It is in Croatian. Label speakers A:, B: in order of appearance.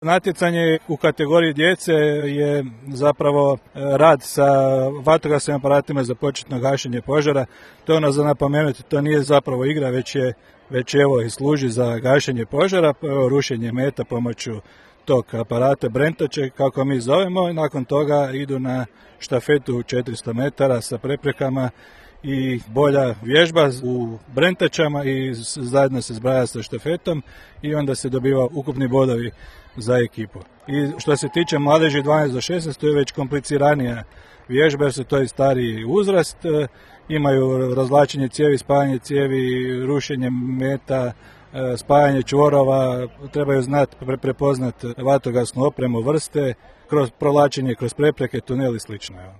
A: Natjecanje u kategoriji djece je zapravo rad sa vatrogasnim aparatima za početno gašenje požara. To je ono za napomenuti, to nije zapravo igra, već evo i služi za gašenje požara, rušenje meta pomoću tog aparata Brentače, kako mi zovemo, i nakon toga idu na štafetu 400 metara sa preprekama i bolja vježba u Brentačama i zajedno se zbraja sa štafetom i onda se dobiva ukupni bodovi za ekipu. I što se tiče mladeži 12 do 16, to je već kompliciranija vježba jer su to i stariji uzrast, imaju razvlačenje cijevi, spajanje cijevi, rušenje meta, spajanje čvorova, trebaju znati prepoznati vatrogasnu opremu, vrste, kroz provlačenje kroz prepreke, tunel i slično.